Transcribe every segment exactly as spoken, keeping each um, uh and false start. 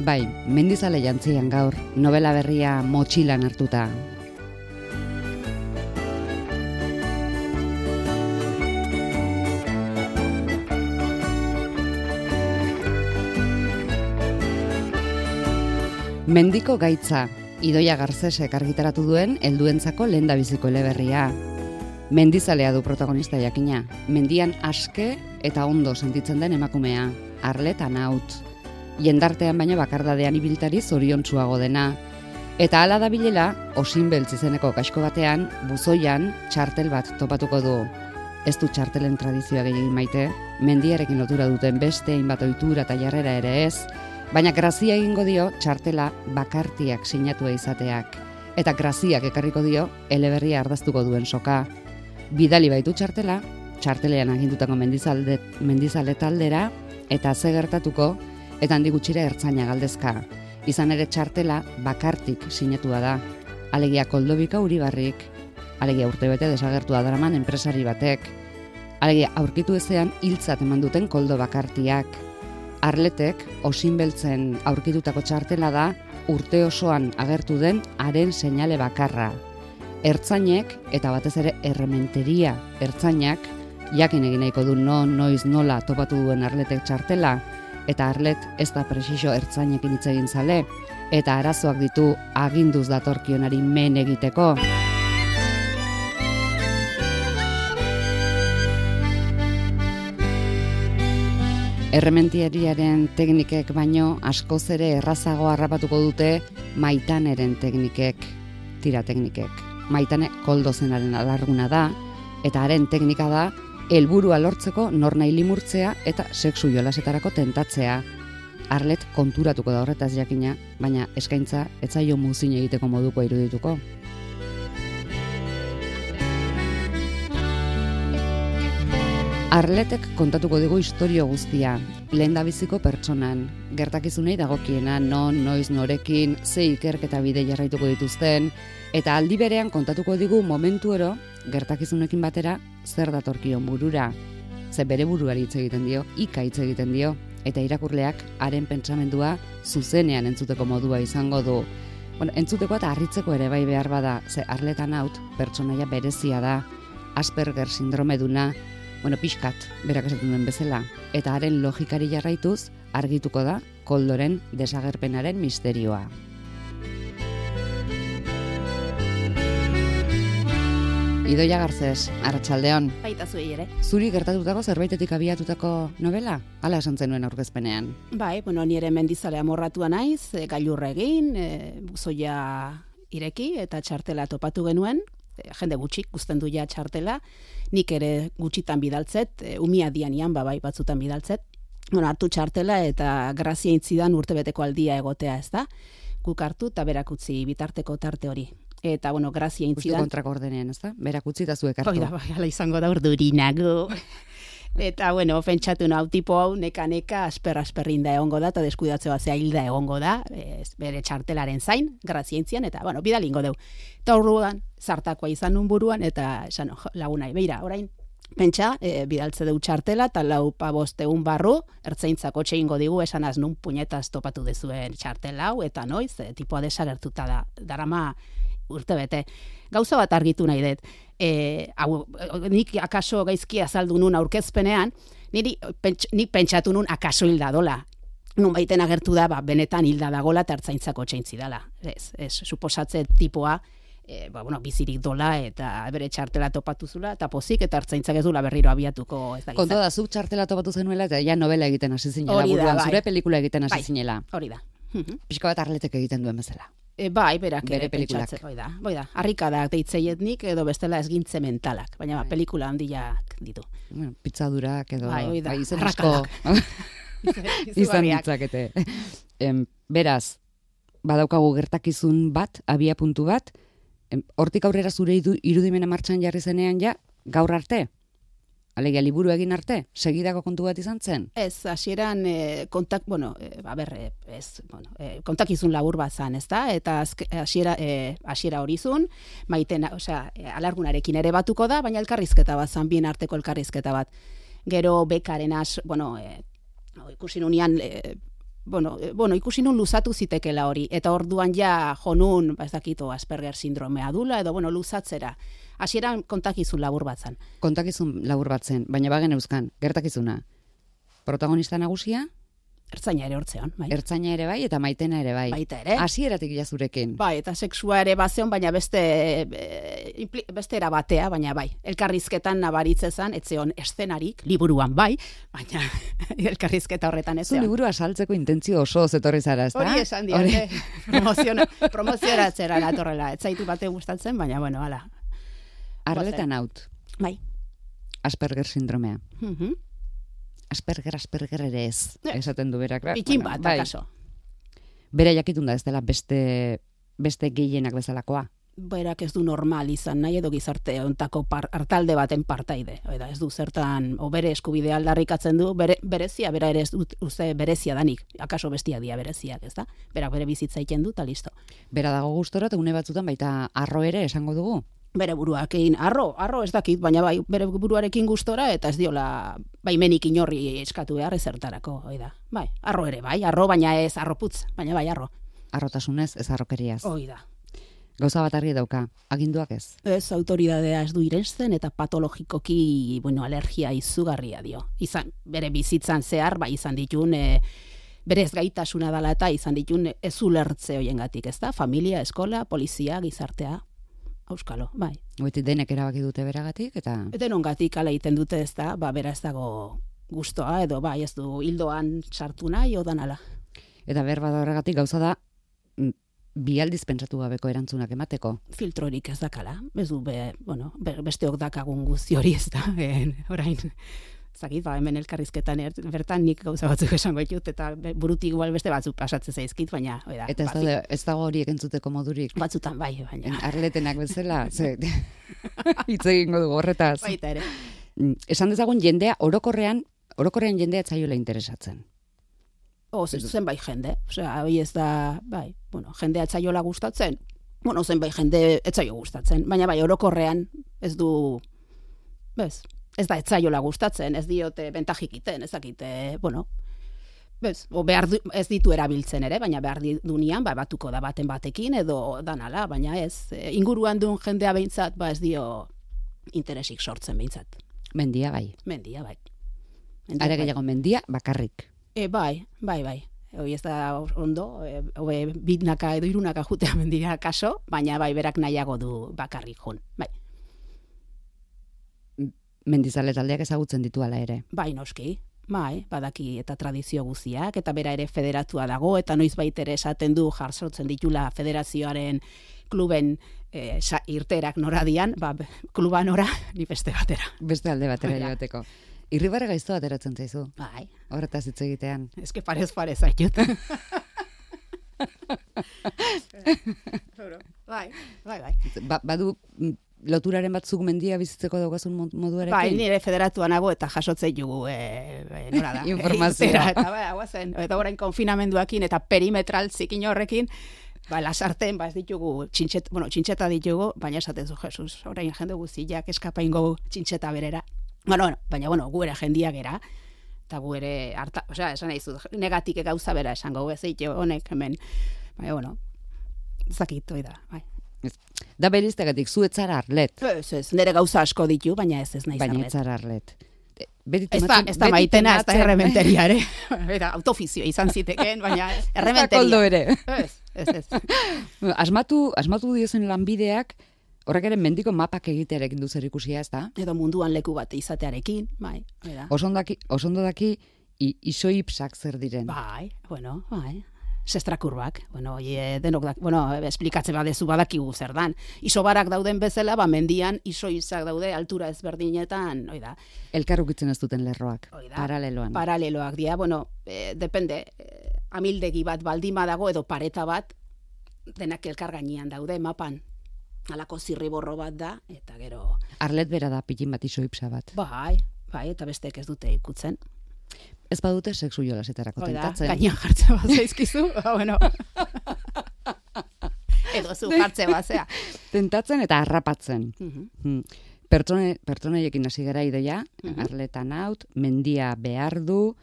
Bai, mendizale jantzian gaur, novela berria motxilan hartuta. Mendiko gaitza, Idoia Garcesek argitaratu duen helduentzako lehendabiziko eleberria. Mendizalea du protagonista jakina, mendian aske eta ondo sentitzen den emakumea, Arlet Anaut. Jendartean baina bakardadean ibiltari zoriontsuago dena. Eta hala da bilela, Osinbeltz izeneko kaxko batean, buzoian, txartel bat topatuko du. Ez du txartelen tradizioa gehiagin maite, mendiarekin lotura duten beste hainbat ohitura eta jarrera ere ez, baina grazia egingo dio txartela bakartiak sinatua izateak. Eta graziak ekarriko dio eleberria ardaztuko duen soka. Bidali baitu txartela, txartelean agindutako mendizalde, mendizale taldera, eta ze gertatuko, eta handi gutxira ertzaina galdezka. Izan ere txartela bakartik sinatua da. Alegia Koldobika Uribarrik, alegia urtebete desagertua daraman enpresari batek, alegia aurkitu ezean hiltzat eman duten koldo bakartiak. Arletek Osinbeltzen aurkitutako txartela da urte osoan agertu den haren seinale bakarra. Ertzainek eta batez ere errementeria ertzainak jakin egin nahiko du non, noiz, nola topatu duen Arletek txartela, eta Arlet ez da presiso ertzainekin hitz egin zale, eta arazoak ditu aginduz datorkionari men egiteko. Errementiariaren teknikek baino askoz ere errazago harrapatuko dute Maitaneren teknikek, tira teknikek. Maitane koldozenaren alarguna da, eta haren teknika da helburua lortzeko nornahi limurtzea eta sexu jolasetarako tentatzea. Arlet konturatuko da horretaz jakina, baina eskaintza ez zaio muzin egiteko moduko irudituko. Arletek kontatuko digu istorio guztia, lehendabiziko pertsonan, gertakizunei dagokiena, non, noiz, norekin, ze ikerketa bide jarraituko dituzten, eta aldi berean kontatuko digu momentu ero, gertakizunekin batera, zer datorkion burura. Ze bere buruari hitz egiten dio, ika hitz egiten dio, eta irakurleak haren pentsamendua zuzenean entzuteko modua izango du. Bueno, entzuteko eta harritzeko ere bai behar bada, ze Arlet Anaut pertsonaia berezia da, Asperger sindromeduna, bueno, pixkat, berak esaten duen bezala, eta haren logikari jarraituz argituko da koldoren desagerpenaren misterioa. Idoia Garces, arratsaldeon. Baita zuei ere. Zuri gertatutako zerbaitetik abiatutako novela? Hala esan zenuen aurkezpenean. Bai, bueno, nire mendizale amorratua naiz, e, gailurra egin, e, buzoia ireki eta txartela topatu genuen, e, jende gutxik guzten du ja txartela, nik ere gutxitan bidaltzet, e, umia dianian, babai batzutan bidaltzet, bueno, hartu txartela eta grazia intzidan urtebeteko aldia egotea, ez da? Guk hartu eta berak utzi bitarteko tarte hori. Eta, bueno, grazia intzidan... Justu kontrako ordenean, ez da? Berak utzi eta zuek hartu. Oida, bai, ala izango da urdurinago. Eta, bueno, pentsatu hau tipo hau, neka-neka, asper-asperrinda egongo da, eta deskuidatze bat hilda egongo da, ez, bere txartelaren zain, grazia intzian, eta, bueno, bidalingo deu. Eta horruan, zartakoa izan nun buruan, eta, esan, lagunai, beira, orain, pentsa, e, bidaltze deu txartela, eta lau paboste un barru, ertzaintzako txeingo digu, esan az nun puñetaz topatu dezuen txartela hau, eta noiz, e, tipoa desagertuta da, darama urte bete. Gauza bat argitu nahi dut, e, hau, nik akaso gaizki azaldu nun aurkezpenean, niri, pentsa, nik pentsatu nun akaso hilda dola. Nun baiten agertu da, ba, benetan hilda dagola eta ertzaintzako txeintzi dala. Ez, ez, suposatze tipoa, E, ba, bueno, bizirik dola eta bere txartela topatu zula, eta pozik, eta hartzaintzak ez dula berriro abiatuko ez da gizan. Konto da, zuk txartela topatu zenuela eta ja novela egiten hasi zinela buruan, zure pelikula egiten hasi bai, zinela. Hori da. Pixka bat Arletek egiten duen bezala. E, bai, berak bere ere pentsatzen. Hoi da, hoi da. Harrikadak deitzeietnik edo bestela esgintze mentalak, baina ba, pelikula handiak ditu. Bueno, pizzadurak edo bai, hoi da, bai, izen asko izan ditzakete. Em, beraz, badaukagu gertakizun bat, abia puntu bat, hortik aurrera zure irudimena martxan jarri zenean ja, gaur arte? Alegia liburu egin arte? Segidako kontu bat izan zen? Ez, hasieran e, kontak, bueno, e, a ber, e, ez, bueno, e, kontakizun labur bat zan, ez da? Eta hasiera e, hasiera hori zun, maiten, osea, e, alargunarekin ere batuko da, baina elkarrizketa bat zan, bien arteko elkarrizketa bat. Gero bekaren as, bueno, e, ikusi nunian, e, bueno, e, bueno, ikusi nun luzatu zitekela hori, eta orduan ja jonun, ba ez dakito, Asperger sindromea dula, edo, bueno, luzatzera. Hasieran kontakizun labur batzan. Kontakizun labur batzen, baina bagen euskan, gertakizuna. Protagonista nagusia? Ertzaina ere hortzean, bai. Ertzaina ere bai, eta Maitena ere bai. Baita ere. Hasieratik jazurekin. Bai, eta sexua ere bazeon, baina beste e, beste era batea, baina bai. Elkarrizketan nabaritzezan, etzeon eszenarik, liburuan bai, baina elkarrizketa horretan ez. Zu liburu asaltzeko intentzio oso zetorri zara, ezta? Hori esan diote, promoziona, promozionatzera natorrela. Ez zaitu bate gustatzen, baina bueno, hala. Arletan haut. Bai. Asperger sindromea. Mhm. Asperger, Asperger ere ez, esaten du berak. Pikin bat, bai. akaso. Bera jakitun da ez dela beste, beste gehienak bezalakoa. Berak ez du normal izan nahi edo gizarte ontako par, hartalde baten partaide. Oida, ez du zertan, o bere eskubidea aldarrikatzen du, bere, berezia, bera ere ez dut uste berezia danik. Akaso bestia dia bereziak, ez da? Berak bere bizitza egiten du, eta listo. Bera dago gustora, eta une batzutan baita arro ere esango dugu. Bere buruarekin, arro, arro ez dakit, baina bai, bere buruarekin gustora, eta ez diola baimenik inorri eskatu behar ezertarako, oida. Bai, arro ere bai, arro, baina ez arroputz, baina bai, arro. Arrotasunez, ez arrokeriaz. Oida. Gauza bat argi dauka, aginduak ez. Ez, autoridadea ez du irensten, eta patologikoki, bueno, alergia izugarria dio. Izan, bere bizitzan zehar, bai, izan ditun, e, berez gaitasuna dela eta izan ditun ez ulertze hoiengatik, ez da? Familia, eskola, polizia, gizartea. Auskalo, bai. Goiti denek erabaki dute beragatik, eta... Denongatik ala egiten dute ez da, ba, bera ez dago gustoa, edo bai, ez du hildoan sartu nahi, odan ala. Eta berba da horregatik gauza da, bi aldiz pentsatu gabeko erantzunak emateko. Filtrorik ez dakala, ez du, be, bueno, be, besteok dakagun guzti hori ez da, en, orain... Zakit, ba, hemen elkarrizketan er, bertan nik gauza batzuk esango ditut, eta burutik igual beste batzuk pasatzen zaizkit, baina... Oida, eta ez, ba, da, ez dago horiek entzuteko modurik? Batzutan bai, baina... Arletenak bezala, ze... hitz egingo dugu horretaz. Baita ere. Esan dezagun jendea, orokorrean, orokorrean jendea etzaiola interesatzen. O, zen bai jende, osea, hoi ez da, bai, bueno, jendea etzaiola gustatzen, bueno, zen bai jende etzaio gustatzen, baina bai, orokorrean ez du, bez... Ez da etzaiola gustatzen, ez diote bentajik iten, ez dakite, bueno, bez, o behar du, ez ditu erabiltzen ere, baina behar dunean, ba, batuko da baten batekin, edo danala, baina ez, e, inguruan duen jendea behintzat, ba ez dio interesik sortzen behintzat. Mendia bai. Mendia bai. Are gehiago mendia bakarrik. E, bai, bai, bai. Hoi ez da ondo, e, hobe bitnaka edo irunaka jutea mendia kaso, baina bai berak nahiago du bakarrik jun, bai. Mendizale taldeak ezagutzen ditu ala ere. Bai, noski. Bai, badaki eta tradizio guziak, eta bera ere federatua dago, eta noiz baitere esaten du jarsotzen ditula federazioaren kluben e, sa, irterak noradian, ba, kluba nora, ni beste batera. Beste alde batera joateko. Irribarre gaizto ateratzen zaizu. Bai. Horretaz hitz egitean. Ez que parez parez aitut. bai, bai, bai. Ba, badu... Loturaren batzuk mendia bizitzeko daukazun moduarekin? Bai, nire federatuan nago eta jasotzei jugu, e, e, nora da. Informazioa. Eta bai, guazen, eta orain konfinamenduakin eta perimetral zikin horrekin, ba, lasarten, ba, ez ditugu, txintxet, bueno, txintxeta ditugu, baina esaten zu, Jesus, orain jende guztiak eskapaingo txintxeta berera. Bueno, bueno, baina, bueno, gu ere jendia gera, eta gu ere, harta, osea, esan nahi zu, negatik gauza bera esango, ez eitio honek hemen, baina, bueno, zakit, oida, bai. Da beriztegatik, zu etzara Arlet. Ez, ez, nire gauza asko ditu, baina ez ez naiz Arlet. Baina etzara Arlet. Ez da, ez da maitena, ez da errementeria ere. Eta autofizio izan ziteken, baina errementeria. Ez da koldo ere. Ez, ez, ez. Asmatu, asmatu diozen lanbideak, horrek ere mendiko mapak egitearekin du zer ikusia, ez da? Edo munduan leku bat izatearekin, bai. Osondo daki, isoipsak zer diren. Bai, bueno, bai. Sestrakurbak, bueno, oie, denok da, bueno, esplikatzen badezu badakigu zer dan. Isobarak dauden bezala, ba, mendian isoizak daude altura ezberdinetan, oi da. Elkarrukitzen ez duten lerroak, paraleloan. Paraleloak dira, bueno, eh, depende, eh, amildegi bat baldima dago edo pareta bat, denak elkar gainean daude, mapan. Halako zirriborro bat da, eta gero... Arlet bera da, pitin bat isoipsa bat. Bai, bai, eta besteek ez dute ikutzen. Ez badute sexu jolasetarako tentatzen. Gainean jartzen bat zaizkizu, bueno. Edo zu jartzen bat, zea. Tentatzen eta harrapatzen. Uh-huh. Pertsone, pertsoneiekin hasi gara ideia, uh-huh. Arletan haut, mendia behar du,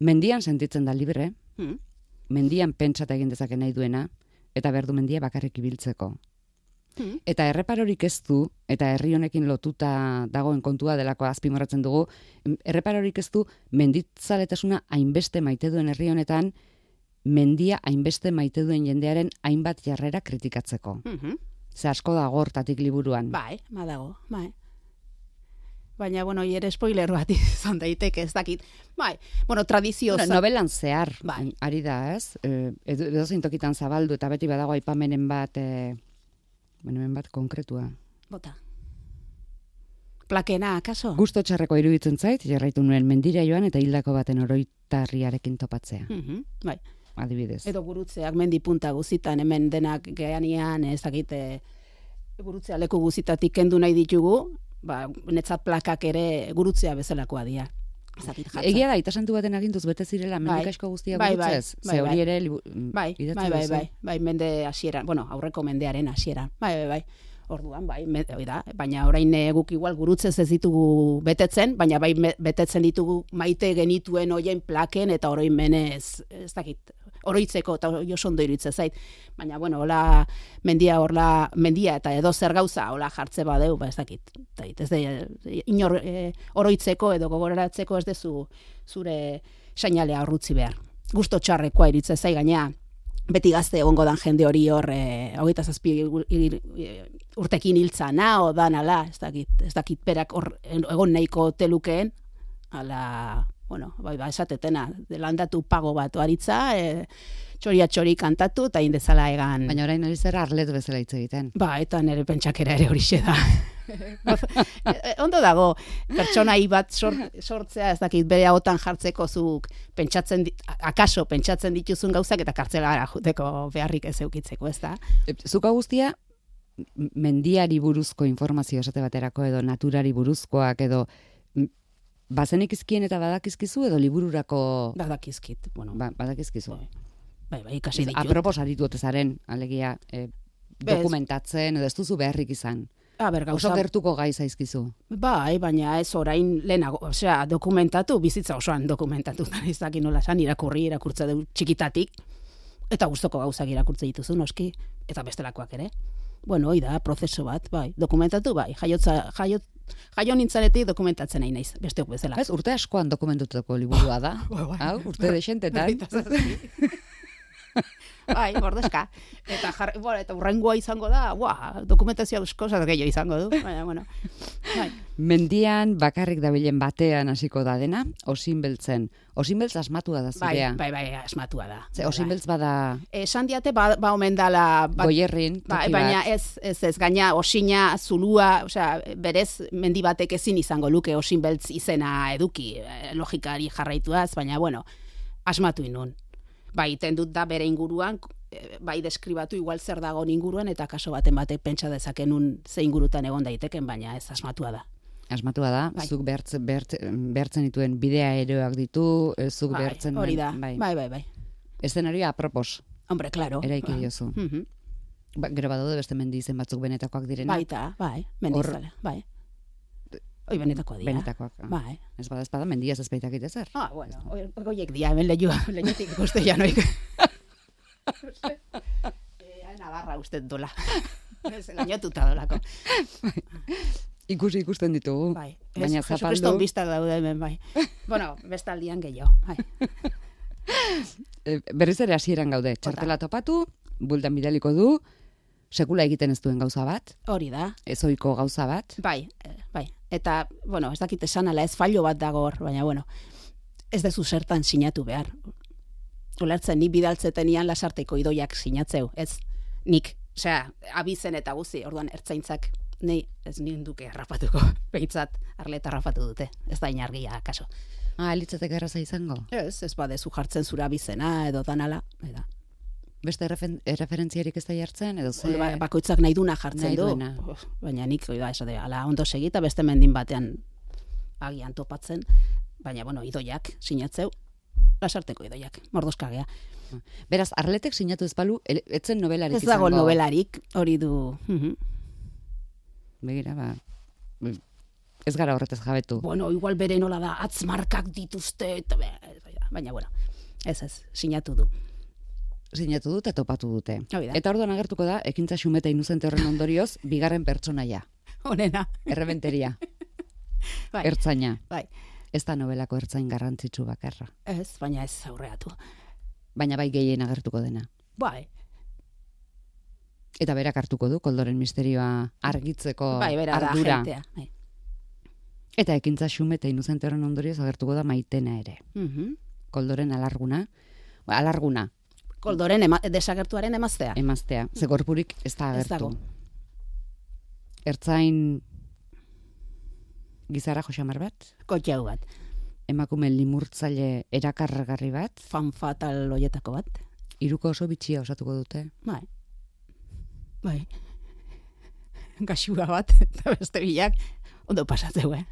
mendian sentitzen da libre, Mm. mendian pentsata egin dezake nahi duena, eta behar du mendia bakarrik ibiltzeko. Mm. Eta erreparorik ez du, eta herri honekin lotuta dagoen kontua delako azpimarratzen dugu, erreparorik ez du menditzaletasuna hainbeste maite duen herri honetan, mendia hainbeste maite duen jendearen hainbat jarrera kritikatzeko. Mm-hmm. Ze asko dago hortatik liburuan. Bai, badago, bai. Baina, bueno, ere spoiler bat izan daiteke, ez dakit. Bai, bueno, tradizio... Bueno, novelan zehar, bai. Ari da, ez? E, edo zintokitan zabaldu, eta beti badago aipamenen bat, e, hemen bat konkretua. Bota. Plakena, akaso? Gusto txarreko iruditzen zait, jarraitu nuen mendira joan eta hildako baten oroitarriarekin topatzea. Mm-hmm, bai. Adibidez. Edo gurutzeak mendi punta guzitan, hemen denak geanian, ez dakite, gurutzea leku guzitatik kendu nahi ditugu, ba, netzat plakak ere gurutzea bezalakoa dira. Egia da, itasantu baten aginduz bete zirela mendik asko guztia bai, gurutzez. Bai, Ze hori ere bai, bai, bai, bai, bai, mende hasieran, bueno, aurreko mendearen hasieran. Bai, bai, bai. Orduan, bai, me, da, baina orain guk igual gurutzez ez ditugu betetzen, baina bai me, betetzen ditugu maite genituen hoien plaken eta oroin menez, ez dakit, oroitzeko eta oso ondo iruditzen zait. Baina, bueno, hola mendia horla, mendia eta edo zer gauza hola jartze badeu, ba ez dakit. Ez de, inor e, oroitzeko edo gogoratzeko ez dezu zure seinalea horrutzi behar. Gusto txarrekoa iruditzen zai gainea. Beti gazte egongo dan jende hori hor, e, hogeita zazpi urtekin hiltzana, o danala, ez dakit, ez dakit perak hor egon nahiko telukeen, ala, bueno, bai, ba, esatetena, landatu pago bat oaritza, e, txoria txori kantatu, eta indezala egan... Baina orain ari zera arlet bezala hitz egiten. Ba, eta nire pentsakera ere horixe da. Ondo dago, pertsonai bat sort, sortzea, ez dakit, bere hautan jartzeko zuk pentsatzen, akaso pentsatzen dituzun gauzak eta kartzelara juteko beharrik ez eukitzeko, ez da? Zuka guztia, mendiari buruzko informazio esate baterako edo naturari buruzkoak edo bazenik izkien eta badakizkizu edo libururako... Badakizkit, bueno. Ba, badakizkizu. Bai, bai, ikasi ditut. Apropos aritu otezaren, alegia, e, dokumentatzen edo ez duzu beharrik izan. A ber, gauza... Oso gertuko gai zaizkizu. Bai, baina ez orain lehenago, osea, dokumentatu, bizitza osoan dokumentatu, ez dakit nola esan, irakurri, irakurtza du txikitatik, eta gustoko gauzak irakurtze dituzu, noski, eta bestelakoak ere. Bueno, hoi da, prozeso bat, bai, dokumentatu, bai, jaiotza, jaiot, jaio nintzanetik dokumentatzen nahi naiz, besteok bezala. Ez, urte askoan dokumentutako liburua da. Hau, urte desentetan. Bai, bordezka. Eta, jar, bueno, eta urrengoa izango da, ua, dokumentazioa euskozat gehiago izango du. Baina, bueno. Bai. Mendian bakarrik dabilen batean hasiko da dena, osinbeltzen. Osinbeltz asmatua da zirea. Bai, bai, bai, asmatua da. Ze, osinbeltz bada... Esan diate, ba, ba omen dala... Ba, Goierrin, ba, baina ez, ez, ez, gaina osina, zulua, osea, berez, mendi batek ezin izango luke osinbeltz izena eduki, logikari jarraituaz, baina, bueno, asmatu inun. Bai, tendut da bere inguruan, bai deskribatu igual zer dago inguruan, eta kaso baten batek pentsa dezakenun ze ingurutan egon daiteken, baina ez asmatua da. Asmatua da, bai. Zuk behartzen, behartzen dituen bidea eroak ditu, zuk bai, behartzen... Hori da, bai, bai, bai. bai. Eszenarioa apropos. Hombre, claro. Eraiki diozu. Uh -huh. Ba, gero badaude beste mendi izen batzuk benetakoak direna. Baita, bai, mendizale, bai. Oi, benetakoa dira. Benetakoak. Bai. Ez bada espada, mendiaz ez baitak ezer. Ah, bueno, oiek dia, hemen lehua, lehuetik ikuste janoik. eh, Navarra uste dola. Ez, gainotuta dolako. Ikusi ikusten ditugu. Bai. Baina zapaldu. Jesucriston bizta daude hemen, bai. Bueno, bestaldian gehiago, bai. e, berriz ere hasieran gaude. Txartela topatu, bultan bidaliko du, sekula egiten ez duen gauza bat. Hori da. Ezoiko gauza bat. Bai, bai. Eta, bueno, ez dakit esan ala, ez fallo bat dago hor, baina, bueno, ez dezu zertan sinatu behar. Ulertzen, ni bidaltzetenian lasarteko idoiak sinatzeu, ez nik, osea, abizen eta guzi, orduan ertzaintzak, nei, ez ninduke harrapatuko, behitzat, arleta harrapatu dute, ez da inargia, kaso. Ah, elitzatek erraza izango? Ez, ez badezu jartzen zura abizena, edo danala, eda. Beste referentziarik ez da jartzen, edo ze... Ba, bakoitzak nahi duna jartzen nahi du. Duena. Baina nik, oida, esate, ala ondo segita, beste mendin batean agian topatzen, baina, bueno, idoiak sinatzeu, lasarteko idoiak, mordoskagea. Beraz, Arletek sinatu ez balu, etzen nobelarik izango. Ez dago nobelarik, hori du. Uh-huh. Begira, ba... Ez gara horretez jabetu. Bueno, igual bere nola da, atzmarkak dituzte, eta, baina, bueno... Ez ez, sinatu du. Sinatu dut eta topatu dute. Hori da. Eta orduan agertuko da, ekintza xumeta inuzente horren ondorioz, bigarren pertsonaia. Honena. Errebenteria. Bai. Ertzaina. Bai. Ez da nobelako ertzain garrantzitsu bakarra. Ez, baina ez aurreatu. Baina bai gehien agertuko dena. Bai. Eta berak hartuko du, koldoren misterioa argitzeko bai, bera da ardura. agentea. Bai. Eta ekintza xumeta inuzente horren ondorioz agertuko da Maitena ere. Mhm. Koldoren alarguna. Ba, alarguna. Koldoren ema, desagertuaren emaztea. Emaztea. Ze gorpurik ez da Ez agertu. dago. Ertzain gizara joxamar bat, Kotxau bat. emakume limurtzaile erakargarri bat, Fan fatal hoietako bat. hiruko oso bitxia osatuko dute. Bai. Bai. Gaxua bat, eta beste bilak, ondo pasatzeu, eh?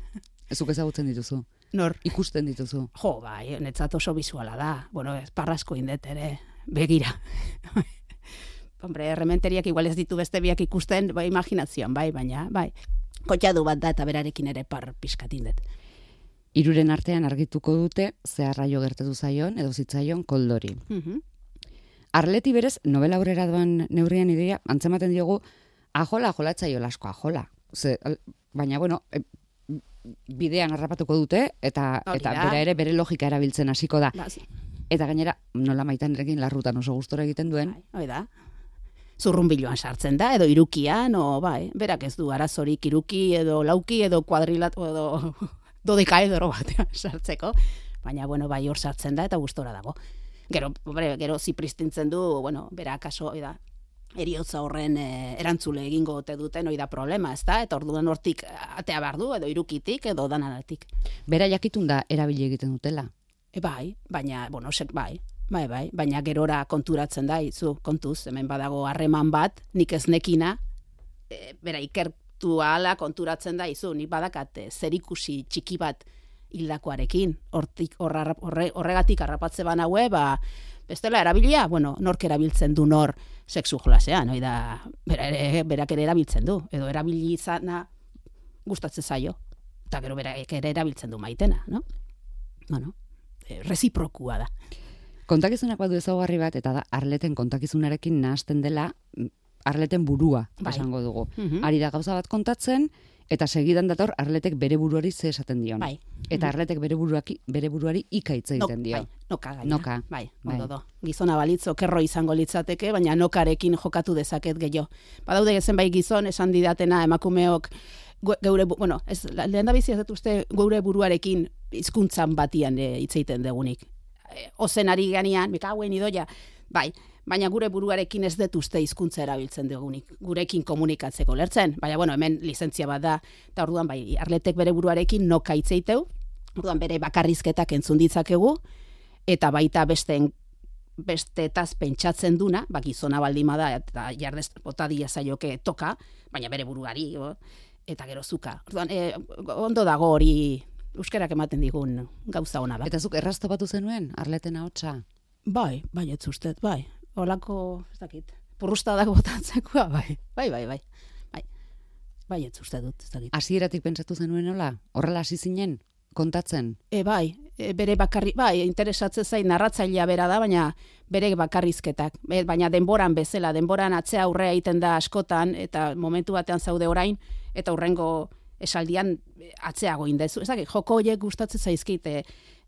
Zuk ezagutzen dituzu, Nor, ikusten dituzu. jo, bai, netzat oso bizuala da. Bueno, ez parrasko indet ere, begira. Hombre, errementeriak igual ez ditu beste biak ikusten, bai, imaginazioan, bai, baina, bai. Kotxadu bat da eta berarekin ere par pixkat indet. Hiruren artean argituko dute zeharraio gertatu zaion edo zitzaion koldori. Mhm. Arleti berez, novela aurrera doan neurrian ideia, antzematen diogu, ajola, ajolatzaio lasko, ajola. Ze, al- baina, bueno, e, bidean harrapatuko dute, eta, Hori eta da. bera ere bere logika erabiltzen hasiko da. Ba, zi- Eta gainera, nola Maitanerekin larrutan oso gustora egiten duen, bai, hori da. Zurrunbiloan sartzen da, edo irukian, o bai, berak ez du arazorik iruki, edo lauki, edo kuadrilat, edo dodekaedro batean sartzeko. Baina, bueno, bai hor sartzen da, eta gustora dago. Gero, hombre, gero zipristintzen du, bueno, bera kaso, hori da, eriotza horren e, erantzule egingo ote duten, hori da problema, ez da? Eta orduan hortik atea behar du, edo irukitik, edo danaratik. bera jakitun da erabili egiten dutela. E, bai, baina, bueno, sek, bai, bai, bai, baina gerora konturatzen da, izu, kontuz, hemen badago harreman bat, nik ez nekina, e, bera ikertu ahala konturatzen da, izu, nik badakat e, zerikusi txiki bat hildakoarekin, hortik, horra, horre, horregatik harrapatze banaue, ba, bestela erabilia, bueno, nork erabiltzen du nor sexu jolasean, hoi da, bera ere, berak ere erabiltzen du, edo erabili izana gustatzen zaio, eta gero berak ere erabiltzen du Maitena, no? Bueno, e, reziprokua da. Kontakizunak badu ezaugarri bat, eta da Arleten kontakizunarekin nahasten dela mm, Arleten burua, Bai. esango dugu. Mhm. Ari da gauza bat kontatzen, eta segidan dator Arletek bere buruari ze esaten dion. Bai. Eta Arletek bere buruaki, bere buruari ikaitz No, egiten dio. bai, noka gaina. Noka. Bai, Bai. ondo do. Gizona balitz okerro izango litzateke, baina nokarekin jokatu dezaket gehiago. Badaude zenbait gizon esan didatena emakumeok gu- geure, bu- bueno, ez, lehen da bizi ez dut uste geure buruarekin hizkuntzan batian e, hitz egiten degunik. E, ozen ari ganean, mekauen idoia, bai, baina gure buruarekin ez dut uste hizkuntza erabiltzen dugunik, gurekin komunikatzeko lertzen. Baina, bueno, hemen lizentzia bat da, eta orduan, bai, Arletek bere buruarekin noka hitz eiteu, orduan bere bakarrizketak entzun ditzakegu, eta baita besteen bestetaz pentsatzen duna, ba, gizona baldima da, eta jardez botadia zaioke toka, baina bere buruari, o, eta gero zuka. Orduan, e, ondo dago hori euskerak ematen digun gauza ona da. Eta zuk erraztopatu zenuen Arleten ahotsa. Bai, bai, ez ustez, bai. Olako, ez dakit, purrustadak botatzekoa, bai, bai, bai, bai. Bai, bai, ez uste dut, ez dakit. Hasieratik pentsatu zenuen nola? Horrela hasi zinen kontatzen. E, bai, e, bere bakarri, bai, interesatzen zain narratzailea bera da, baina bere bakarrizketak. E, baina denboran bezala, denboran atzea aurrea egiten da askotan, eta momentu batean zaude orain, eta hurrengo esaldian atzeago indezu. Ez dakit, joko horiek gustatzen zaizkit, e,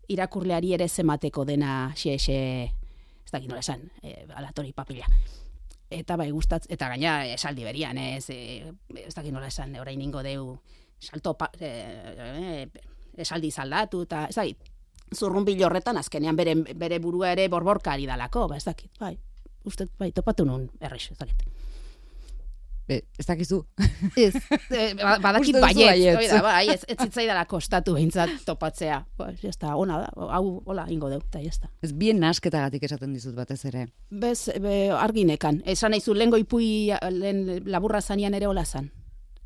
irakurleari ere zemateko dena xe-xe, ez dakit nola esan, e, alatori papila. Eta bai gustatz, eta gaina esaldi berian, ez, e, ez dakit nola esan, orain ingo deu, salto, pa, e, e, esaldi zaldatu, eta ez dakit, zurrunbilo horretan azkenean bere, bere burua ere borborkari dalako, ba ez dakit, bai, uste, bai, topatu nun errex, ez dakit. E, ez dakizu. Ez, e, ba- badakit Uste duzu baietz, baietz. hori da, bai, ez, ez zitzaidala kostatu behintzat topatzea, ba, jazta, ona da, hau, hola, ingo deu, eta jazta. Ez bien nasketagatik esaten dizut batez ere. Bez, be, arginekan, esan nahizu, lehengo ipui, lehen laburra zanian ere hola zan.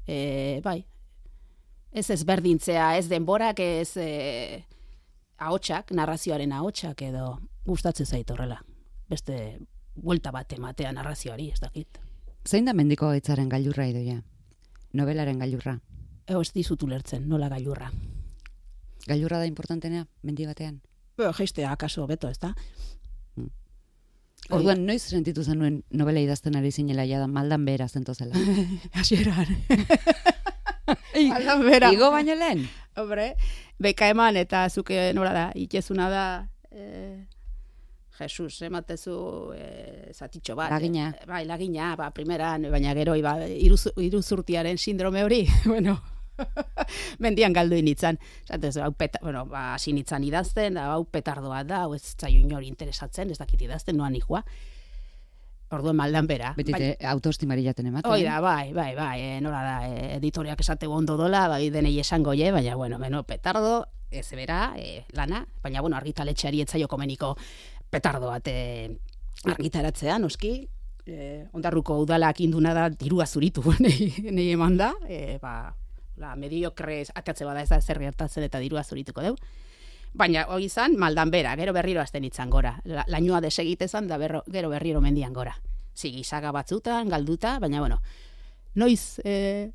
E, bai, ez ezberdintzea, ez denborak, ez e, ahotsak, narrazioaren ahotsak edo gustatzen zait horrela. Beste buelta bat ematea narrazioari, ez dakit. Zein da mendiko gaitzaren gailurra idoia? Nobelaren gailurra. Ego ez dizut ulertzen, nola gailurra. Gailurra da importantenea, mendi batean. Be, jeistea akaso beto, ez da? Orduan, noiz sentitu zenuen novela idazten ari zinela ja da maldan behera zentozela? Hasieran. Maldan behera. Igo baino lehen? Hombre, beka eman eta zuke nola da, itxezuna da, eh, Jesus, ematezu eh, zatitxo bat. Lagina. Eh, bai, lagina, ba, primeran, baina gero, iba, iruz, iruzurtiaren sindrome hori, bueno, mendian galdu initzan. Zatez, hau peta, bueno, ba, hasi nitzan idazten, hau petardoa da, hau ez zaio inori interesatzen, ez dakit idazten, noan ikua. Orduan maldan bera. Betite bai, autoestimari jaten ematen. Oida, bai, bai, bai, e, nola da, e, editoriak esate ondo dola, bai, denei esango je, baina, bueno, beno, petardo, ez bera, e, lana, baina, bueno, argitaletxeari etzaio komeniko petardo bat e, argitaratzea, noski, e, ondarruko udalak induna da dirua zuritu nei, nei eman da, e, ba, la mediokre atatze bada ez da zer gertatzen eta dirua zurituko deu. Baina hori izan maldan bera, gero berriro azten itzan gora. La, lainoa desegitezan da berro, gero berriro mendian gora. Zigizaga batzutan, galduta, baina bueno, noiz e,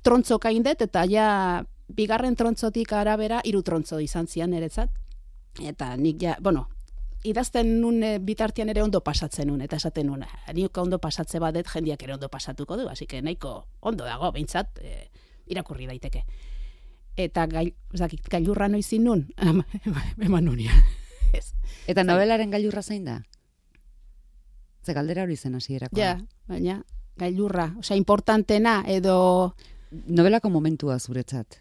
trontzoka indet eta ja bigarren trontzotik arabera hiru trontzo izan zian niretzat. Eta nik ja, bueno, idazten nun e, bitartean ere ondo pasatzen nun, eta esaten nun, nik ondo pasatze badet jendiak ere ondo pasatuko du, así que nahiko ondo dago, behintzat, e, irakurri daiteke. Eta gai, zakit, gailurra noizin nun, eman nunia. Eta novelaren gailurra zein da? Ze galdera hori zen hasierako. Ja, baina gailurra, osea, importantena edo... Novelako momentua zuretzat?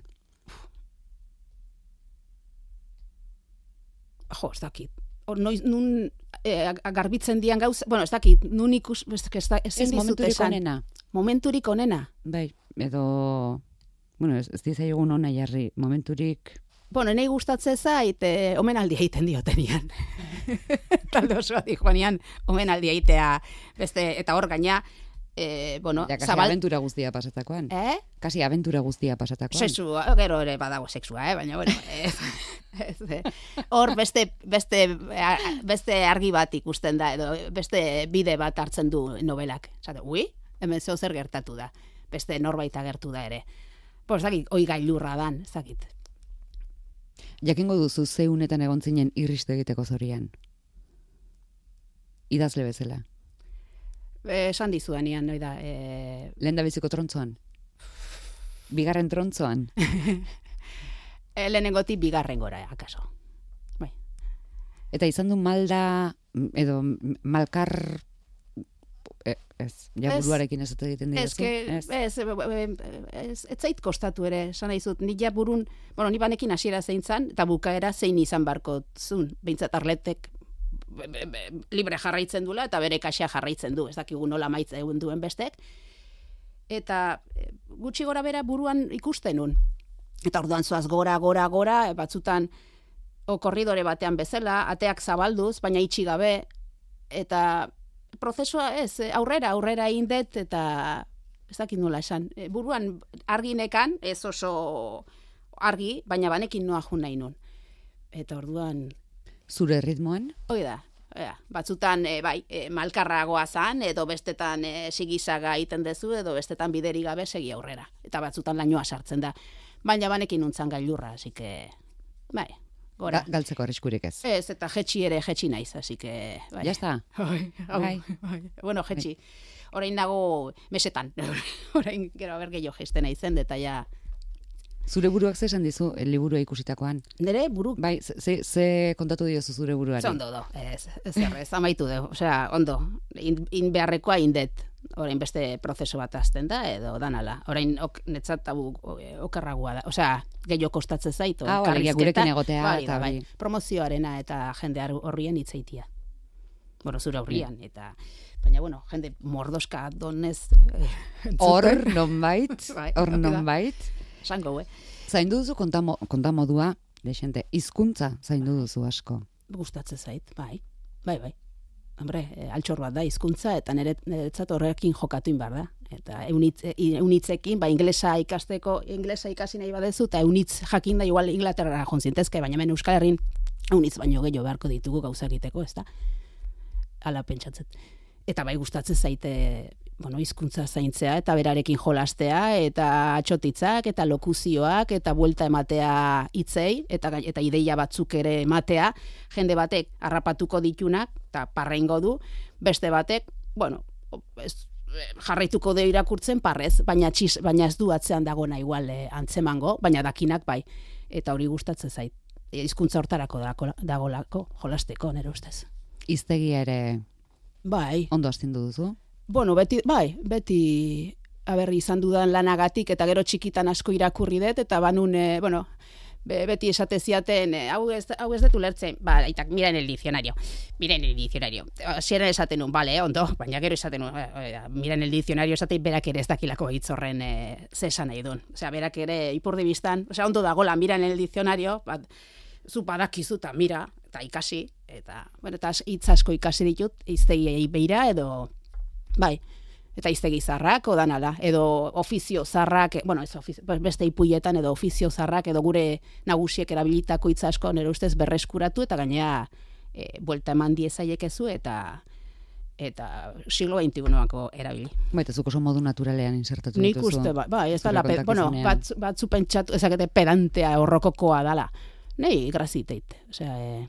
Jo, ez dakit. Or, noiz, nun eh, garbitzen dian gauz, bueno, ez dakit, nun ikus, ez, ez, ez, ez momenturik onena. Momenturik onena. Bai, edo... Bueno, ez, ez dizaiogun ona jarri, momenturik... Bueno, nahi gustatze zait, e, omenaldia egiten diotenian. Talde osoa dijoanian, omenaldia egitea, beste, eta hor gaina, e, bueno, ja, kasi zabal... aventura guztia pasatakoan. Eh? Kasi aventura guztia pasatakoan. Sexua, gero ere badago sexua, eh? Baina, bueno, ez, ez, hor beste, beste, beste argi bat ikusten da, edo beste bide bat hartzen du novelak. Zate, ui, hemen zeo zer gertatu da, beste norbait agertu da ere. Pues zakit, oi gailurra dan, zakit. Jakingo duzu zeunetan egon zinen irriste egiteko zorian. Idazle bezala. E, esan dizudanean, noi da. E... Lehen da biziko trontzoan? Bigarren trontzoan? e, lehenengotik bigarren gora, akaso. Bai. Eta izan du malda, edo malkar... Ez, ja buruarekin ez egiten dira. Ez, ez, ez, ez zait kostatu ere, esan dizut, ni ja burun, bueno, ni banekin hasiera zein zan, eta bukaera zein izan barko zun, behintzat arletek be, be, be, libre jarraitzen dula, eta bere kaxea jarraitzen du, ez dakigu nola maitza egun duen bestek, eta gutxi gora bera buruan ikusten nun. Eta orduan zoaz gora, gora, gora, batzutan o korridore batean bezala, ateak zabalduz, baina itxi gabe, eta prozesua ez, aurrera, aurrera indet, eta ez dakit nola esan. Buruan arginekan, ez oso argi, baina banekin noa jun nahi nun. Eta orduan... Zure ritmoan? Hoi da, ja, batzutan e, bai, e, malkarragoa zan, edo bestetan e, sigizaga egiten dezu, edo bestetan bideri gabe segi aurrera. Eta batzutan lainoa sartzen da. Baina banekin nuntzan gailurra, así que... Bai, gora. Ga, galtzeko arriskurik ez. Ez, eta jetxi ere jetxi naiz, así que... Bai. Ya está. Bai, bai. Bai. Bueno, jetxi. Orain nago mesetan. Orain gero aber gehiago jesten naizen, eta ja... Zure buruak ze esan dizu el liburua ikusitakoan? Nere buru? Bai, ze, ze kontatu diozu zure buruari? Ze ondo do, ez, ez errez, amaitu du. Osea, ondo, in, in beharrekoa indet. Orain beste prozesu bat azten da, edo danala. Orain ok, netzat tabu okerragua da. Osea, gehiago kostatzen zaitu. Ah, bale, gurekin egotea. Bai, eta bai, bai. Promozioarena eta jende horrien hitzaitia. Bueno, zure horrian, eta... Baina, bueno, jende mordoska donez... Hor, nonbait, hor bai, nonbait. Zango, eh? Zaindu duzu kontamo, kontamodua, desente, hizkuntza zaindu duzu asko. Gustatzen zait, bai, bai, bai. Hombre, e, altxor bat da hizkuntza eta nire, niretzat horrekin jokatuin behar da. Eta eunitz, eunitzekin, ba, inglesa ikasteko, inglesa ikasi nahi badezu, eta eunitz jakin da igual Inglaterra jontzintezke, baina hemen Euskal Herrin eunitz baino gehiago beharko ditugu gauza egiteko, ez da? Hala pentsatzet. eta bai gustatzen zaite bueno, hizkuntza zaintzea eta berarekin jolastea eta atxotitzak eta lokuzioak eta buelta ematea hitzei eta eta ideia batzuk ere ematea, jende batek harrapatuko ditunak eta parreingo du, beste batek, bueno, ez, jarraituko de irakurtzen parrez, baina txiz, baina ez du atzean dagona igual eh, antzemango, baina dakinak bai. Eta hori gustatzen zait. Hizkuntza hortarako dagolako jolasteko nere ustez. Hiztegia ere bai. Ondo astindu duzu? Bueno, beti, bai, beti aberri izan dudan lanagatik eta gero txikitan asko irakurri dut eta banun, e, bueno, be, beti esate ziaten, e, hau ez, hau ez dut ulertzen, ba, aitak, mira en el diccionario, mira en el diccionario. Zieran esaten nun, bale, ondo, baina gero esaten nun, e, mira en el diccionario esaten berak ere ez dakilako hitz horren e, zesan nahi duen. Osea, berak ere ipurdi biztan, osea, ondo dagola, mira en el diccionario, bat, zu badakizu eta mira, eta ikasi, eta, bueno, eta hitz asko ikasi ditut, hiztegiei beira edo bai, eta hiztegi zarrak odanala, edo ofizio zarrak, bueno, ez ofizio, beste ipuietan edo ofizio zarrak, edo gure nagusiek erabilitako hitz asko nire ustez berreskuratu, eta gainera e, buelta eman diezaiekezu, eta eta siglo veintiunoako erabili. Baita, zuk oso modu naturalean insertatu Nik dituzu. uste, ba, bai, ez da, bueno, bat, batzu pentsatu, ezakete pedantea horrokokoa dala. Nei, graziteit, osea, e,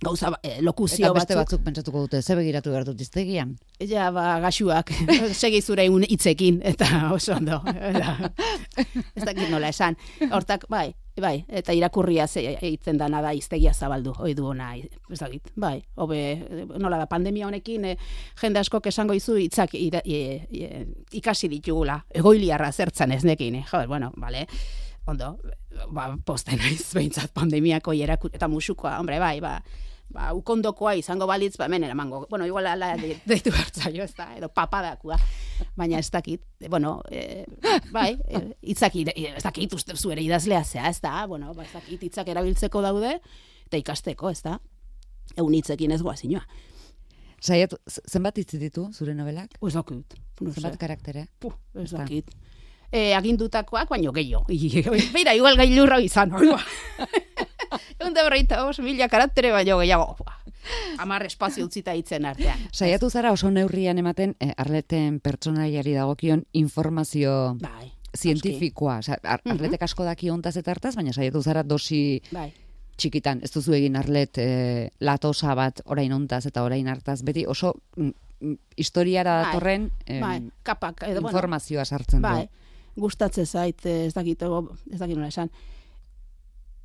gauza, eh, lokuzio batzuk. Eta beste batzuk. batzuk pentsatuko dute, ze begiratu behar dut hiztegian? Ja, ba, gaxuak, segi zure un hitzekin, eta oso ondo. Ez dakit nola esan. Hortak, bai, bai, eta irakurria eitzen dana da hiztegia zabaldu, oi du ona, ez dakit, bai, hobe, nola da, pandemia honekin, eh, jende askok esango izu hitzak ira, e, e, ikasi ditugula, egoiliarra zertzan ez nekin, eh? Joder, bueno, vale, ondo, ba, posten naiz behintzat pandemiako ierakut, eta musukoa, hombre, bai, ba, ba, ukondokoa izango balitz, ba, hemen eramango. Bueno, igual ala deitu hartzaio, ez da, edo papadakua. Baina ez dakit, bueno, e, bai, hitzak, e, ez dakit, uste zuere idazlea zea, ez da, bueno, ba, ez dakit, hitzak erabiltzeko daude, eta ikasteko, ez da, egun hitzekin ez goazinoa. Saiatu, zenbat hitz ditu zure novelak? Ez dakit. Zenbat karaktere? Puh, ez dakit. E, agindutakoak, baino gehiago. Beira, igual gailurra izan, hori ba. Egun da berreita, os, mila karaktere baino gehiago. Amar espazio utzita hitzen artean. Saiatu zara oso neurrian ematen, eh, Arleten pertsonaiari dagokion informazio bai, zientifikoa. Osa, ar, Arletek asko daki ontaz eta hartaz, baina saiatu zara dosi bai. txikitan. Ez duzu egin Arlet eh, latosa bat orain ontaz eta orain hartaz. Beti oso mm, historiara datorren eh, bai. Kapak, edo, informazioa sartzen bai. du. Gustatzen zait, ez dakit, ez dakit nola esan.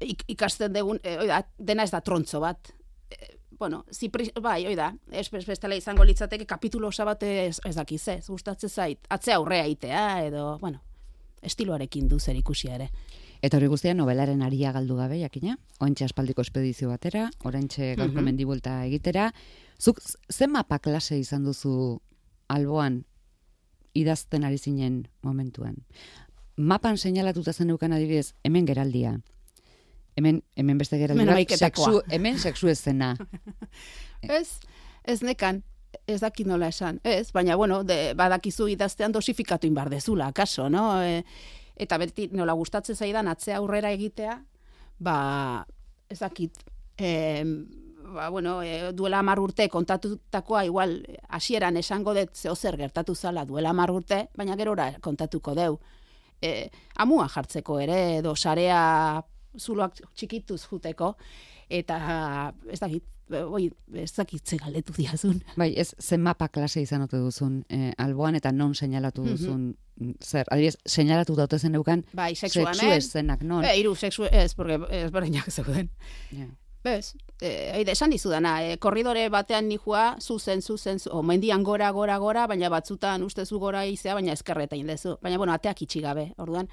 Ik, ikasten dugun, e, oida, dena ez da trontzo bat. E, bueno, zipri, bai, oida, ez bestela izango litzateke kapitulo osa bat ez, ez dakiz, ez, gustatzen zait. Atzea aurrea itea, edo, bueno, estiloarekin du zer ikusia ere. Eta hori guztia novelaren aria galdu gabe, jakina? Ointxe aspaldiko espedizio batera, oraintxe gaurko Mhm. mendibuelta egitera. Zuk ze mapa klase izan duzu alboan idazten ari zinen momentuan? Mapan seinalatuta zeneukan adibidez, hemen geraldia. Hemen, hemen beste geraldi Hemen bat, amaiketakoa. sexu, hemen sexu ezena. Ez, ez nekan, ez dakit nola esan, ez, baina, bueno, de, badakizu idaztean dosifikatu inbar dezula, akaso, no? E, eta beti nola gustatzen zaidan atzea aurrera egitea, ba, ez dakit, e, ba, bueno, e, duela hamar urte kontatutakoa, igual, hasieran esango dut zeo zer gertatu zala duela hamar urte, baina gerora kontatuko deu. E, amua jartzeko ere, edo sarea zuloak txikituz juteko, eta ez dakit, oi, ez dakit ze galdetu diazun. Bai, ez zen mapa klase izan ote duzun eh, alboan eta non seinalatu duzun, zer, adibidez, seinalatu daute zeneukan Bai, sexu sexu hemen. eszenak, non? E, iru, sexu, ez, porque ez berdinak zeuden. Ja. Bez, e, eide, esan dizudana, e, korridore batean nijua, zuzen, zuzen, zu, o, mendian gora, gora, gora, baina batzutan ustezu gora izea, baina eskerreta indezu. Baina, bueno, ateak itxi gabe, orduan.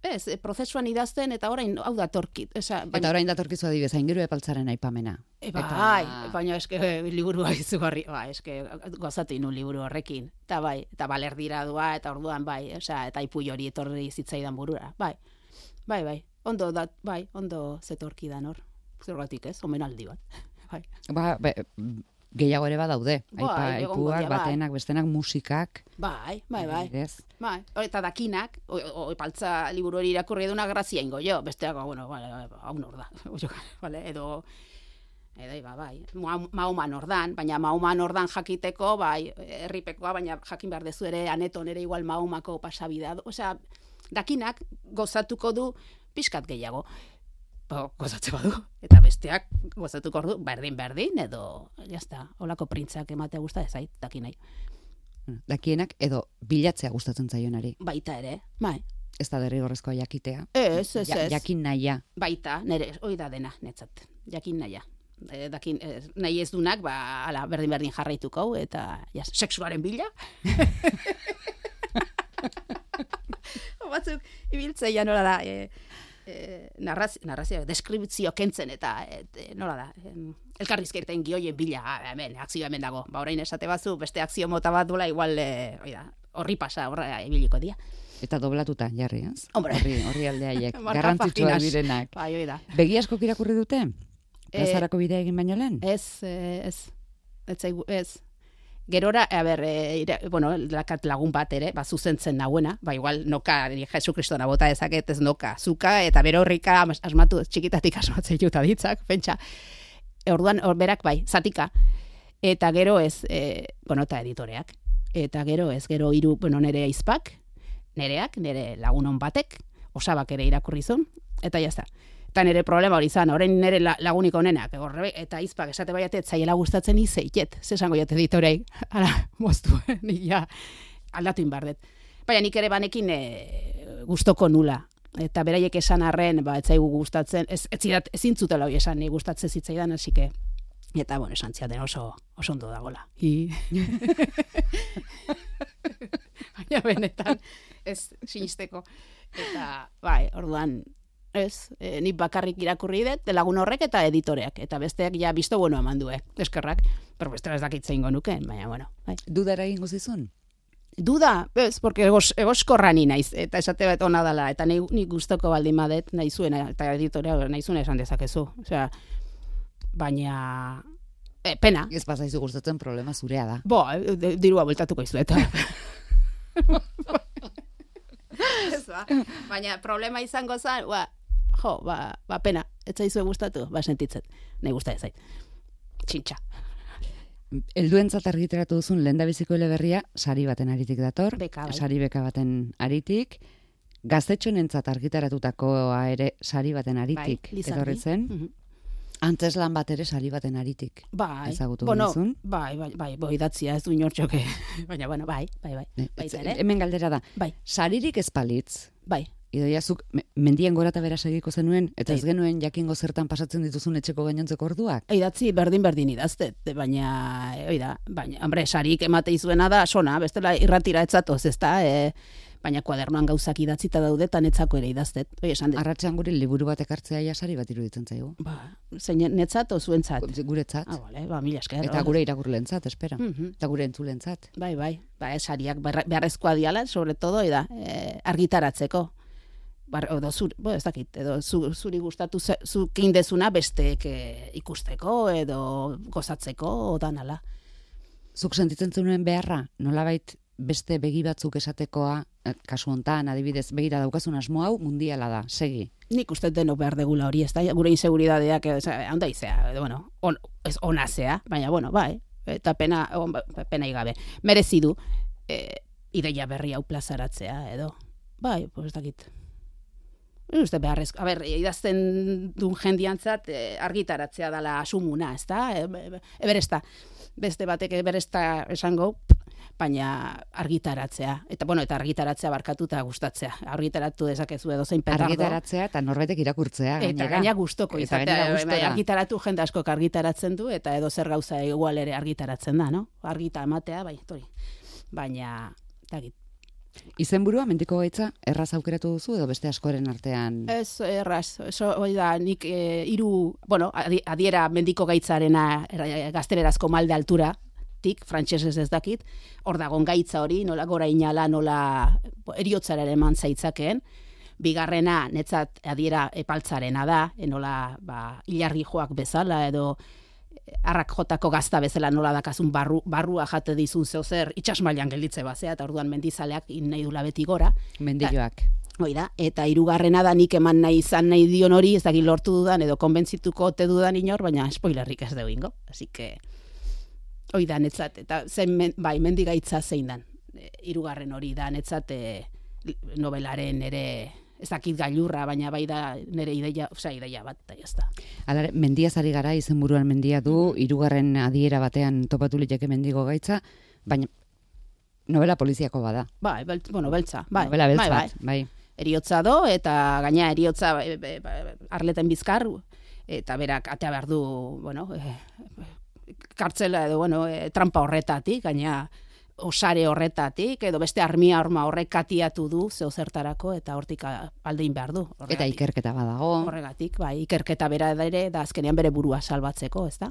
Ez, e, prozesuan idazten, eta orain, hau da torkit. Esa, baina, Eta orain datorkizu adibidez, aingeru epaltzaren aipamena. E, bai, baina eske liburua izugarri, ba, eske gozatu inu liburu horrekin. Eta bai, eta balerdira dua, eta orduan bai, osea, eta ipu hori etorri zitzaidan burura. Bai, bai, bai, ondo da, bai, ondo zetorkidan hor. Zergatik ez, omenaldi bat. Bai. Ba, be, gehiago ere badaude. Bai, Aipa, egongo aipuak, dira, bai. batenak, bestenak, musikak. Bai, bai, bai. adibidez. Bai, eta dakinak, o, o, epaltza liburu hori irakurri eduna grazia ingo jo, besteak, bueno, vale, hau nor da, vale, edo, Edo, ba, bai, Mahoman ordan, baina Mahoman ordan jakiteko, bai, herripekoa, baina jakin behar dezu ere, aneton ere igual Mahomako pasabidea. Osea, dakinak gozatuko du pixkat gehiago. Ba, gozatze badu. Eta besteak gozatuko ordu, berdin-berdin, edo, jazta, holako printzak ematea gusta ezait, dakinai. Dakienak edo bilatzea gustatzen zaionari. Baita ere, bai. Ez da derrigorrezkoa jakitea. Ez, ez, ez. Jakin nahia. Baita, nire, hoi da dena, netzat. Jakin nahia. E, dakin, e, nahi ez dunak, ba, ala, berdin-berdin jarraituko, eta ja, sexuaren bila. Batzuk, ibiltzea nola da, e, e, narrazio, narrazio, deskriptzio kentzen, eta et, nola da, em, elkarrizketen gioien bila, ah, hemen, akzio hemen dago. Ba, orain esate bazu, beste akzio mota bat duela, igual, e, hoi da, horri pasa, horra ibiliko dia. Eta doblatuta, jarri, ez? Hombre. Horri, horri aldeaiek, garrantzitsuak direnak. Bai, hoi da. Begi askok irakurri dute? Plazarako bidea egin baino lehen? Ez, ez, ez, zaigu, ez. Gerora, a ber, e, ira, bueno, lakat lagun bat ere, ba, zuzentzen nahuena, ba, igual, noka, Jesu Kristona bota ezaket, ez noka, zuka, eta bero horrika asmatu, txikitatik asmatzen juta ditzak, pentsa. Orduan, or, berak, bai, zatika. Eta gero ez, e, bueno, eta editoreak. Eta gero ez, gero hiru, bueno, nere aizpak, nereak, nere lagunon batek, osabak ere irakurrizun, eta jazta. Eta nire problema hori zan, orain nire lagunik onenak, horre, eta izpak esate baiatet zaiela gustatzen izeiet, zesango jate editorei, ala, moztu, nik ja, aldatu inbardet. Baina nik ere banekin e, gustoko nula, eta beraiek esan arren, ba, ez zaigu gustatzen, ez, ez zidat, ezin zutela hori esan, nik gustatzen zitzaidan, hasike, eta, bueno, esan ziaten oso, oso ondo dagoela. I... Baina benetan, ez sinisteko. Eta, bai, orduan, ez, e, nik bakarrik irakurri dut, lagun horrek eta editoreak, eta besteak ja bisto bueno eman du, eskerrak, pero bestela ez dakitze ingo nuke, baina, bueno. Bai. Dudara egingo zizun? Duda, ez, porque egos, egoskorra ni naiz, eta esate bat ona dela, eta nik, nik gustoko baldin badet, nahi zuena, eta editorea nahi zuena esan dezakezu, osea, baina, e, pena. Ez pasaizu gustatzen problema zurea da. Bo, de, dirua bultatuko izu, eta... Ez, ba. Baina problema izango zen, ba, jo, ba, ba pena, ez zaizue gustatu, ba sentitzen, nahi gusta ez zait. Txintxa. Helduentzat argitaratu duzun lehendabiziko eleberria sari baten aritik dator, beka, bai. Sari beka baten aritik, gaztetxonentzat argitaratutakoa ere sari baten aritik bai, etorri zen. Mm-hmm. Antzeslan bat ere sari baten aritik. Bai, ezagutu bueno, duzun. Bai, bai, bai, bai, idatzia ez du inortxoke. Baina, bueno, bai, bai, bai. Ne, Baita ez, ere. Hemen galdera da. Bai. Saririk ez palitz. Bai. Idoia, zuk mendien gora eta bera segiko zenuen, eta ez genuen jakingo zertan pasatzen dituzun etxeko gainontzeko orduak? Idatzi berdin-berdin idaztet, baina, oida, baina, hombre, sarik emate izuena da, sona, bestela irratira etzatoz, ez da, e, baina kuadernoan gauzak idatzita daude, eta netzako ere idaztet. Oi, esan dut. Arratxean guri liburu bat ekartzea ja sari bat iruditzen zaigu. Ba, zein netzat o zuentzat? Guretzat. Ah, vale, ba, mila esker. Eta gure irakurlentzat, espera. Mm-hmm. Eta gure entzulentzat. Bai, bai, ba, sariak beharrezkoa diala, sobre todo, eda, e, argitaratzeko. Bar, edo zuri, bo, ez dakit, edo zu, zuri gustatu zuk indezuna besteek e, ikusteko edo gozatzeko odan ala. Zuk sentitzen zenuen beharra, nolabait beste begi batzuk esatekoa, kasu hontan, adibidez, begira daukazun asmo hau mundiala da, segi. Nik uste denok behar degula hori, ez da, gure inseguridadeak, handa izea, bueno, on, ez onazea, baina, bueno, bai, eta pena, on, pena igabe, merezi du, e, ideia berri hau plazaratzea, edo, bai, pues ez dakit. Uste beharrezko, a ber, idazten duen jendiantzat eh, argitaratzea dela asumuna, ez da? E, eberesta, beste batek eberesta esango, baina argitaratzea. Eta, bueno, eta argitaratzea barkatuta gustatzea. Argitaratu dezakezu edo zein petardo. Argitaratzea eta norbaitek irakurtzea. Eta gaina gustoko izatea. Argitaratu jende asko argitaratzen du, eta edo zer gauza igual ere argitaratzen da, no? Argita ematea, bai, tori. Baina, tagit. Izenburua mendiko gaitza erraz aukeratu duzu edo beste askoren artean? Ez, erraz. Eso, hori da, nik e, iru, bueno, adiera mendiko gaitzarena gaztelerazko malde altura, tik, frantsesez ez dakit, hor dagon gaitza hori, nola gora inala, nola eriotzara ere eman zaitzakeen, bigarrena netzat adiera epaltzarena da, enola ba, ilargi joak bezala edo arrak jotako gazta bezala nola dakazun barru, barrua jate dizun zeozer itxasmailan gelditze bazea, eta orduan mendizaleak nahi dula beti gora. Mendilloak. Hoi da, eta hirugarrena da nik eman nahi izan nahi dion hori, ez dakit lortu dudan edo konbentzituko ote dudan inor, baina spoilerrik ez dugu ingo. Así que, hoi da, netzat, eta zen, men, bai, mendigaitza zein dan. Hirugarren hori da, netzat e, novelaren ere, ez dakit gailurra, baina bai da nire ideia, osea, ideia bat, eta jazta. Alare, mendiaz ari gara, izenburuan mendia du, hirugarren adiera batean topatu liteke mendigo gaitza, baina novela poliziako bada. Bai, beltz, bueno, beltza, bai. Novela beltz bai, bat, bai. bai. Eriotza do, eta gaina eriotza e, e, e, Arleten Bizkar, eta berak atea behar du, bueno, e, kartzela edo, bueno, e, trampa horretatik, gaina osare horretatik, edo beste armia horma horrek katiatu du, zeo zertarako, eta hortik aldein behar du. Horregatik. Eta ikerketa badago. Horregatik, bai, ikerketa bera ere, da azkenean bere burua salbatzeko, ez da?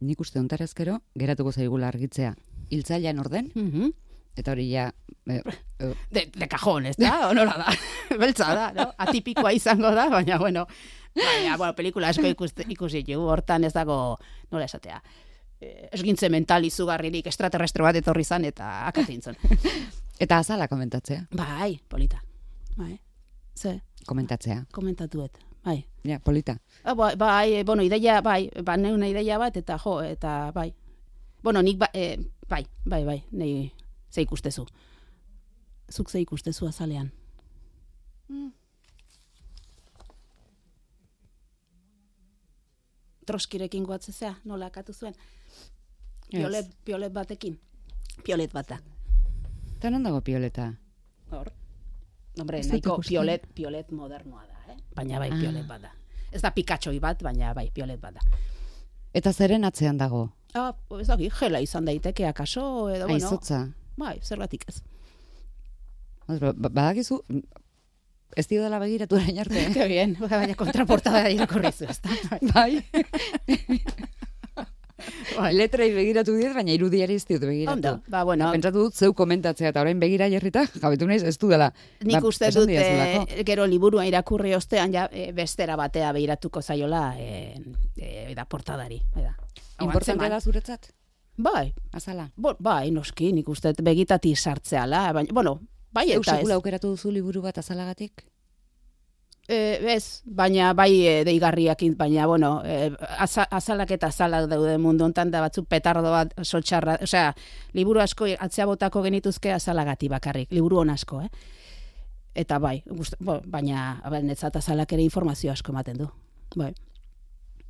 Nik uste ontarazkero, geratuko zaigula argitzea. Hiltzailean orden, Mhm. eta hori ja... Eh, eh, De, de cajón, ez da? Onola da? Beltza da, no? Atipikoa izango da, baina, bueno, baina, bueno, pelikula asko ikuste, ikusi dugu, hortan ez dago, nola esatea, eh, esgintze mental izugarririk extraterrestre bat etorri zan, eta akatintzen. eta azala komentatzea. Bai, polita. Bai, ze, Komentatzea. komentatuet, bai. Ja, polita. Ah, bai, bai, bueno, ideia, bai, ba, neuna ideia bat, eta jo, eta bai. Bueno, nik, ba, eh, bai, bai, bai, nei, ze ikustezu. Zuk ze ikustezu azalean. Mm. Troskirekin goatzezea, nola akatu zuen. Piolet, piolet batekin. Piolet bat da. Eta non dago pioleta? Hor. Hombre, Ez dut nahiko ikusten. piolet, piolet modernoa da, eh? Baina bai, Ah. piolet bat da. Ez da pikatxoi bat, baina bai, piolet bat da. Eta zeren atzean dago? Ah, ez daki, jela izan daiteke akaso, edo, bueno, Aizotza. bai, zergatik ez. Ba- Badakizu, ez dio dela begiratu orain arte. Ke bien, baina kontraportada irakurrizu, ez da? Bai. Bai, letrai begiratu diet, baina irudiari ez diot begiratu. Ondo, ba, bueno, Pentsatu dut zeu komentatzea, eta orain begira jarrita, jabetu naiz, ez du dela. nik Ba, uste esan dut didazulako. e, gero liburua irakurri ostean ja e, bestera batea begiratuko zaiola e, e, da portadari. Da. Importantea da zuretzat? Bai, Azala. bo, bai, noski, nik uste dut begitati sartzeala, baina, bueno, bai Zeu eta ez. sekula aukeratu duzu liburu bat azalagatik? E, ez, baina bai e, deigarriakin, baina, bueno, e, aza, azalak eta azalak daude mundu hontan da batzuk petardo bat soltxarra, osea, liburu asko atzea botako genituzke azalagati bakarrik, liburu on asko, eh? Eta bai, gust, bo, baina, netzat azalak ere informazio asko ematen du, bai.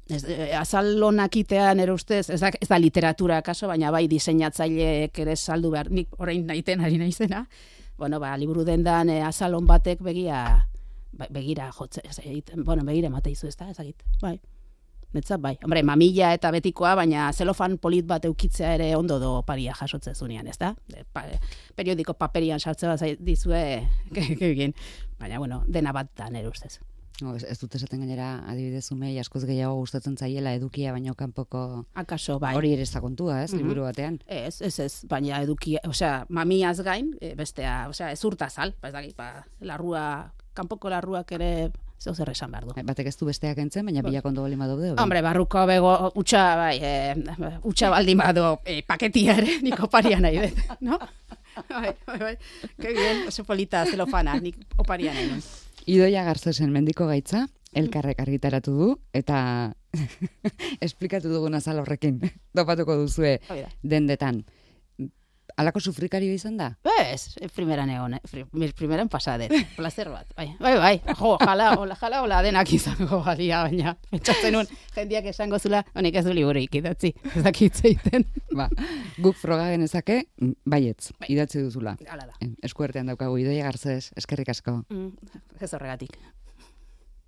Ez, e, azal honak itean ere ustez, ez da, ez da literatura kaso, baina bai diseinatzaileek ere saldu behar, nik orain naiten ari naizena, bueno, ba, liburu dendan e, azal hon batek begia, Ba, begira jotze, ez egiten, bueno, begira emate izu, ez da, ez egit, bai. Netzat, bai. Hombre, mamila eta betikoa, baina zelofan polit bat eukitzea ere ondo do paria jasotze zunean, ez da? De, pa, periodiko paperian sartze bat dizue, egin. Baina, bueno, dena bat da nere ustez. No, ez, ez dut esaten gainera, adibidez umei askoz gehiago gustatzen zaiela edukia baino kanpoko Akaso, bai. hori ere ez da kontua, ez, Mhm. liburu batean. Ez, ez, ez, baina eduki, osea, mamiaz gain, e, bestea, osea, ez urtazal, ba, ez dakit, ba, larrua, kanpoko larruak ere zeu zer esan behar du. Batek ez du besteak entzen, baina Ba. bilak ondo bali badaude. hori. Hombre, barruko bego, utxa, bai, e, utxa baldin bado e, paketia ere, nik oparia nahi dut, no? Bai, bai, bai, que bien, oso polita zelofana, nik oparia nahi dut. Idoia Garzesen mendiko gaitza, elkarrek argitaratu du, eta esplikatu dugun azal horrekin, topatuko duzue Hoi da. dendetan. Alako sufrikario izan da? Ez, primeran egon, eh? primeran pasadet, placer bat, bai, bai, bai, jo, jala, hola, jala, hola, denak izango balia, baina, pentsatzen nun, jendiak esango zula, honek ez du liburuik idatzi, ez dakitzeiten. Ba, guk froga genezake, baietz, Bai. idatzi duzula. Hala da. Eskuartean daukagu Idoia Garzes, eskerrik asko. Mm, ez horregatik.